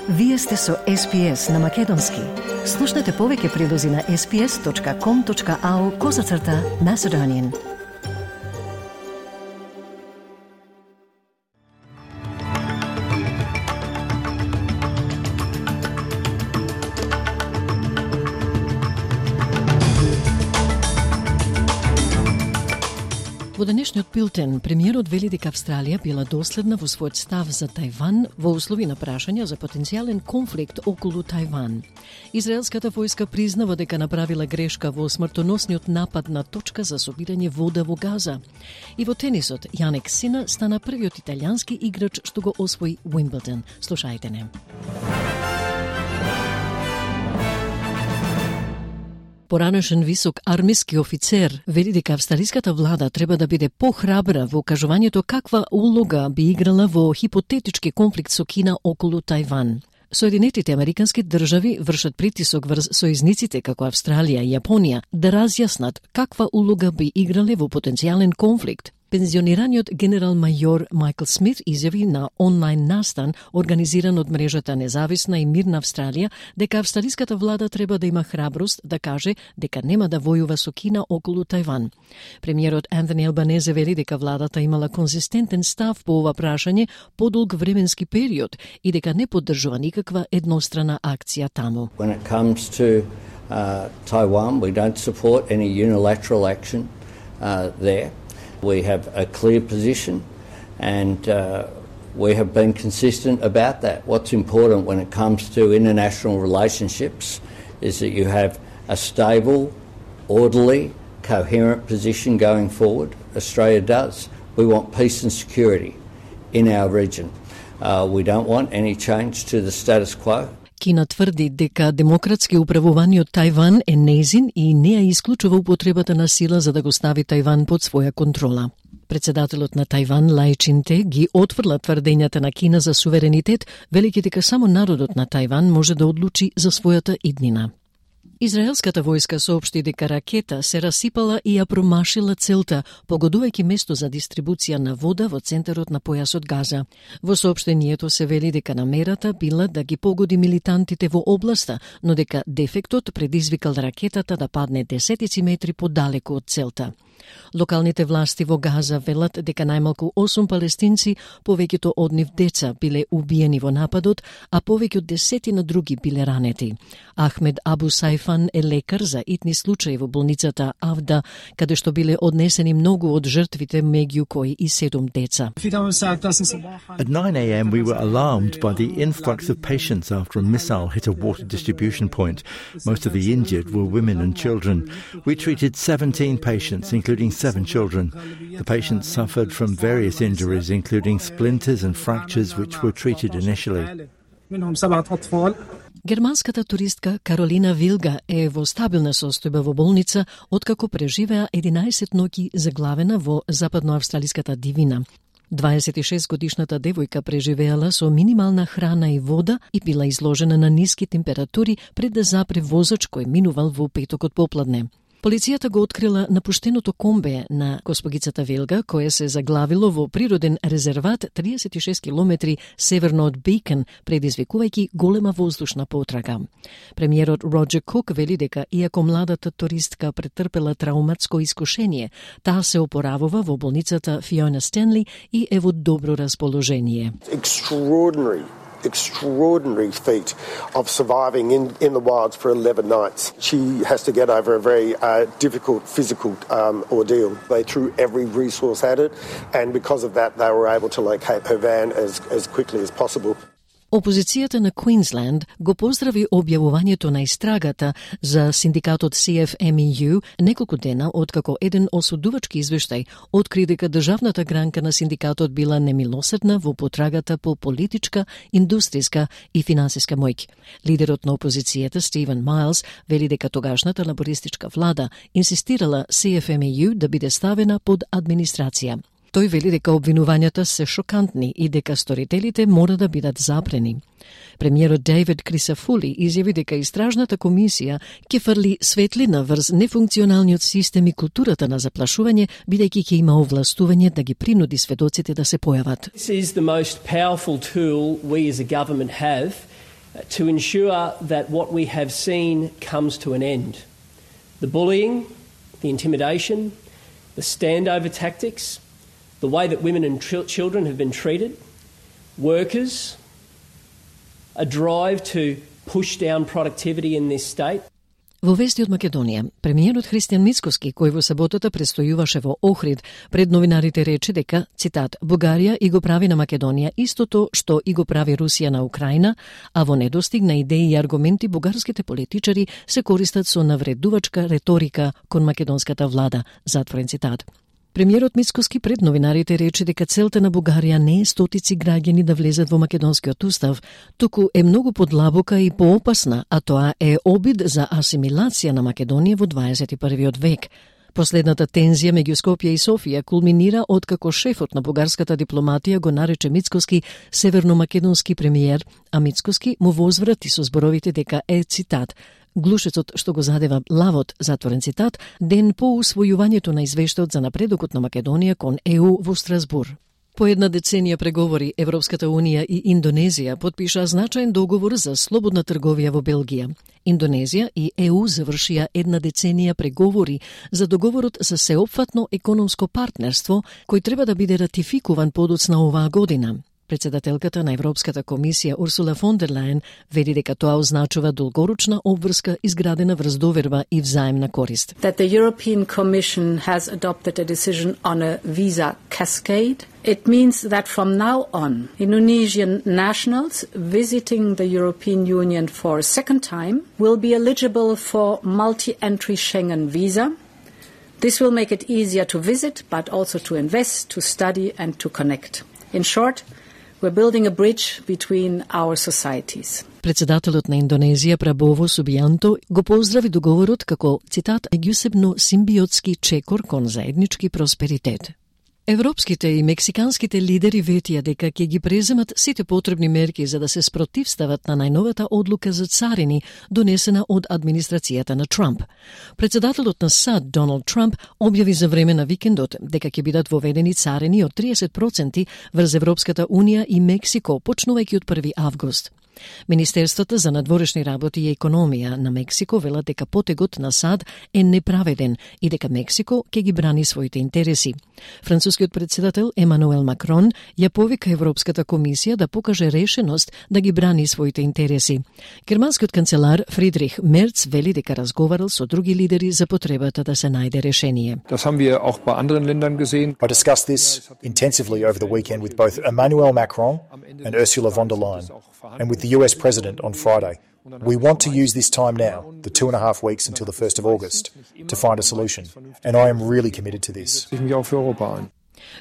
Вие сте со SPS на Македонски. Слушнете повеќе прилози на sps.com.au/Macedonian. Во денешниот билтен, премиерот вели дека Австралија била доследна во својот став за Тајван во услови на прашања за потенцијален конфликт околу Тајван. Израелската војска признава дека направила грешка во смртоносниот напад на точка за собирање вода во Газа. И во тенисот, Јанек Сина стана првиот италијански играч што го освои Уимблдон. Слушајте не. Поранешен висок армиски офицер вели дека австралиската влада треба да биде похрабра во кажувањето каква улога би играла во хипотетички конфликт со Кина околу Тајван. Соединетите американски држави вршат притисок врз сојузниците како Австралија и Јапонија да разјаснат каква улога би играле во потенцијален конфликт. Пензионираниот генерал-мајор Майкл Смит изјави на онлайн настан организиран од мрежата Независна и мирна Австралија дека австралиската влада треба да има храброст да каже дека нема да војува со Кина околу Тајван. Премиерот Антони Албанезе вели дека владата имала конзистентен став по ова прашање подолг временски период и дека не поддржува никаква еднострана акција таму. When it comes to Taiwan, we don't support any unilateral action there. We have a clear position and we have been consistent about that. What's important when it comes to international relationships is that you have a stable, orderly, coherent position going forward. Australia does. We want peace and security in our region. We don't want any change to the status quo. Кина тврди дека демократски управуваниот Тајван е нејзин и не ја исклучува употребата на сила за да го стави Тајван под своја контрола. Председателот на Тајван, Лај Чинте, ги отфрла тврдењата на Кина за суверенитет, велики дека само народот на Тајван може да одлучи за својата иднина. Израелската војска соопшти дека ракета се расипала и ја промашила целта, погодувајќи место за дистрибуција на вода во центарот на појасот Газа. Во соопштението се вели дека намерата била да ги погоди милитантите во областа, но дека дефектот предизвикал ракетата да падне десетици метри подалеку од целта. Локалните власти во Газа велат дека најмалку 8 палестинци, повеќето од нив деца, биле убиени во нападот, а повеќе од десетина други биле ранети. Ахмед Абу Сайфан е лекар за итни случаи во болницата Авда, каде што биле однесени многу од жртвите, меѓу кои и 7 деца. At 9 a.m. we were alarmed by the influx of patients after a missile hit a water distribution point. Most of the injured were women and children. We treated 17 patients, including 7 children. The patients suffered from various injuries, including splinters and fractures, which were treated initially. Германската туристка Каролина Вилга е во стабилна состојба во болница, откако преживеа 11 ноќи заглавена во западноавстралиската дивина. 26-годишната девојка преживеала со минимална храна и вода и била изложена на ниски температури пред да запре возач кој минувал во петокот попладне. Полицијата го открила напуштеното комбе на госпогицата Вилга, кое се заглавило во природен резерват 36 километри северно од Бейкон, предизвикувајќи голема воздушна потрага. Премиерот Роджер Кук вели дека иако младата туристка претрпела трауматско искушение, таа се опоравува во болницата Фиона Стенли и е во добро расположение. Extraordinary feat of surviving in the wilds for 11 nights. She has to get over a very difficult physical ordeal. They threw every resource at it, and because of that they were able to locate her van as quickly as possible. Опозицијата на Квинсленд го поздрави објавувањето на истрагата за синдикатот CFMEU неколку дена откако еден осудувачки извештај откри дека државната гранка на синдикатот била немилосредна во потрагата по политичка, индустријска и финансиска моќ. Лидерот на опозицијата Стивен Майлс вели дека тогашната лабористичка влада инсистирала CFMEU да биде ставена под администрација. Тој вели дека обвинувањата се шокантни и дека сторителите мора да бидат запрени. Премиерот Дейвид Крисафули изјави дека истражната комисија ќе фрли светлина врз нефункционалниот систем и културата на заплашување, бидејќи ќе има овластување да ги принуди сведоците да се појават. This is the most powerful tool we as a government have to ensure that what we have seen comes to an end. The bullying, the intimidation, the standover tactics, the way that women and children have been treated, workers, a drive to push down productivity in this state. Во вести од Македонија, премиерот Христијан Мицкоски, кој во саботата престојуваше во Охрид, пред новинарите рече дека, цитат, Бугарија и го прави на Македонија истото што и го прави Русија на Украина, а во недостиг на идеи и аргументи бугарските политичари се користат со навредувачка реторика кон македонската влада, затворен цитат. Премиерот Мицкоски пред новинарите рече дека целта на Бугарија не е стотици граѓани да влезат во македонскиот устав, туку е многу подлабока и поопасна, а тоа е обид за асимилација на Македонија во 21. век. Последната тензија меѓу Скопје и Софија кулминира откако шефот на бугарската дипломатија го нарече Мицкоски северномакедонски премиер, а Мицкоски му возврати со зборовите дека е, цитат, глушецот што го задева лавот, затворен цитат, ден по усвојувањето на извештајот за напредокот на Македонија кон ЕУ во Страсбур. По една деценија преговори, Европската Унија и Индонезија подпиша значаен договор за слободна трговија во Белгија. Индонезија и ЕУ завршија една деценија преговори за договорот за сеопфатно економско партнерство, кој треба да биде ратификуван подоцна оваа година. Председателката на Европската комисија Урсула фон дер Лајен вели дека тоа означува долгорочна обврска изградена врз доверба и взаемна корист. That the European Commission has adopted a decision on a visa cascade. It means that from now on, Indonesian nationals visiting the European Union for a second time will be eligible for multi-entry Schengen visa. This will make it easier to visit, but also to invest, to study and to connect. In short, we're building a bridge between our societies. Председателот на Индонезија Прабово Субијанто го поздрави договорот како, цитат, меѓусебно симбиотски чекор кон заеднички просперитет. Европските и мексиканските лидери ветија дека ќе ги преземат сите потребни мерки за да се спротивстават на најновата одлука за царини донесена од администрацијата на Трамп. Председателот на САД Доналд Трамп објави за време на викендот дека ќе бидат воведени царини од 30% врз Европската Унија и Мексико почнувајќи од 1 август. Министерствата за надворешни работи и економија на Мексико велат дека потегот на САД е неправеден и дека Мексико ќе ги брани своите интереси. Францускиот председател Емануел Макрон ја повика Европската комисија да покаже решеност да ги брани своите интереси. Германскиот канцелар Фридрих Мерц вели дека разговарал со други лидери за потребата да се најде решение. Das haben wir auch bei anderen Ländern gesehen. I discussed this intensively over the weekend with both Emmanuel Macron and Ursula von der Leyen, and with the US President on Friday. We want to use this time now, the 2.5 weeks until the 1st of August, to find a solution, and I am really committed to this.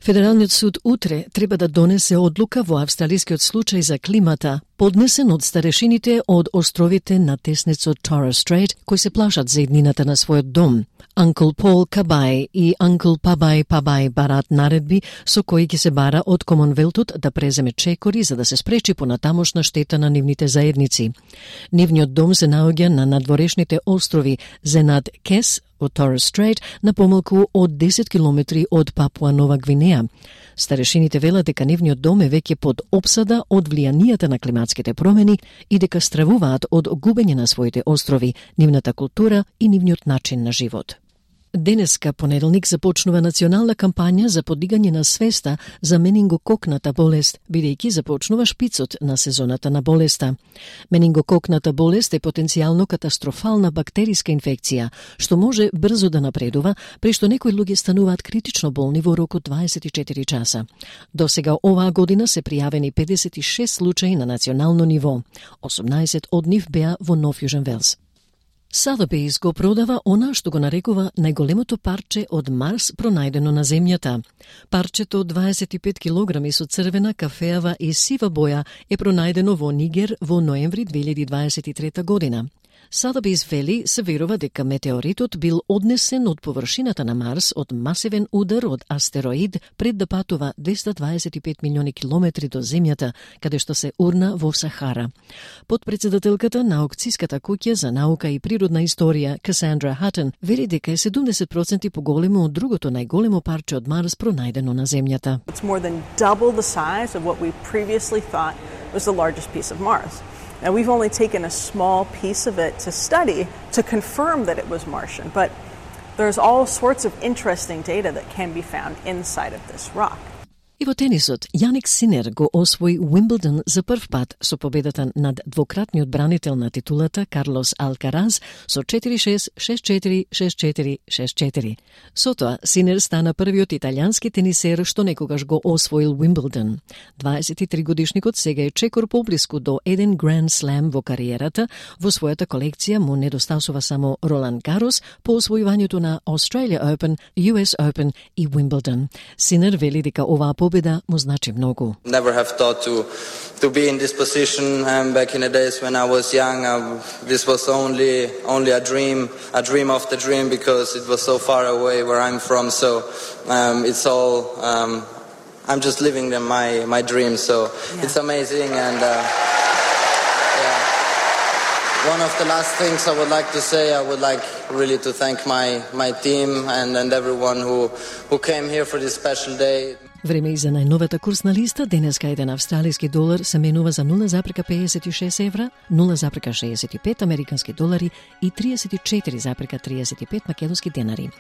Федералниот суд утре треба да донесе одлука во австралискиот случај за климата, поднесен од старешините од островите на теснецот Torres Strait, кои се плашат за иднината на својот дом. Uncle Paul Кабај и Uncle Пабај барат наредби со кои ќе се бара од Комонвелтот да преземе чекори за да се спречи понатамошна штета на нивните заедници. Нивниот дом се наоѓа на надворешните острови Зенат Кес од Torres Strait на помалку од 10 километри од Папуа Нова Гвинеја. Старешините велат дека нивниот дом е веќе под опсада од влијанијата на климатските промени и дека стравуваат од губење на своите острови, нивната култура и нивниот начин на живот. Денеска, понеделник, започнува национална кампања за подигање на свеста за менингококната болест, бидејќи започнува шпицот на сезоната на болеста. Менингококната болест е потенцијално катастрофална бактериска инфекција, што може брзо да напредува, при што некои луѓе стануваат критично болни во рок од 24 часа. До сега оваа година се пријавени 56 случаи на национално ниво. 18 од нив беа во Нов Јужен Велс. Sotheby's го продава она што го нарекува најголемото парче од Марс пронајдено на Земјата. Парчето од 25 килограми со црвена, кафеава и сива боја е пронајдено во Нигер во ноември 2023 година. Sotheby's вели се верува дека метеоритот бил однесен од површината на Марс од масивен удар од астероид пред да патува 225 милиони километри до Земјата, каде што се урна во Сахара. Подпредседателката на аукцијската куќа за наука и природна историја, Касандра Хатън, вели дека е 70% поголемо од другото најголемо парче од Марс пронајдено на Земјата. It's more than double the size of what we previously thought was the largest piece of Mars. Now, we've only taken a small piece of it to study to confirm that it was Martian, but there's all sorts of interesting data that can be found inside of this rock. И во тенисот, Јаник Синер го освои Уимблдон за прв пат со победата над двократниот бранител на титулата Карлос Алкараз со 4-6, 6-4, 6-4, 6-4. Со тоа, Синер стана првиот италијански тенисер што некогаш го освоил Уимблдон. 23-годишникот сега е чекор поблиску до еден Гранд Слем во кариерата. Во својата колекција му недостасува само Ролан Гарос по освојувањето на Australia Open, US Open и Уимблдон. Синер вели дека оваа победа му значи многу. Never have thought to be in this position. Back in the days when I was young, this was only a dream of the dream, because it was so far away where I'm from. So it's all I'm just living my dream. So it's amazing, and one of the last things I would like to say, I would like really to thank my team and everyone who came here for this special day. Време и за најновата курсна листа. Денеска еден австралиски долар се менува за 0,56 евра, 0,65 американски долари и 34,35 македонски денари.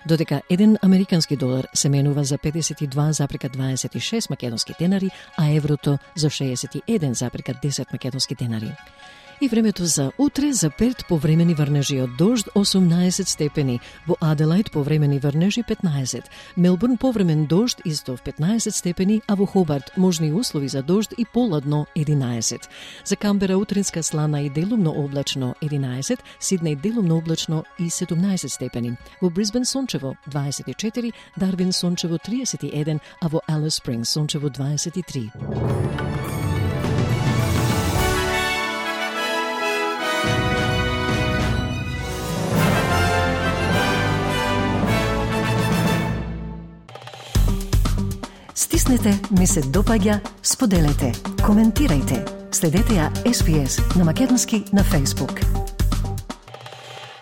Додека еден американски долар се менува за 52,26 македонски денари, а еврото за 61,10 македонски денари. И времето за утре: за Перт повремени врнежи од дожд 18 степени, во Аделаид повремени врнежи 15, Мелбурн повремен дожд исто 15 степени, а во Хобарт можни услови за дожд и поладно 11. За Камбера утринска слана и делумно облачно 11, Сиднеј делумно облачно и 17 степени, во Брисбен сончево 24, Дарвин сончево 31, а во Алис Спрингс сончево 23. Стиснете, ми се допаѓа, споделете, коментирајте. Следете ја SPS на македонски на Facebook.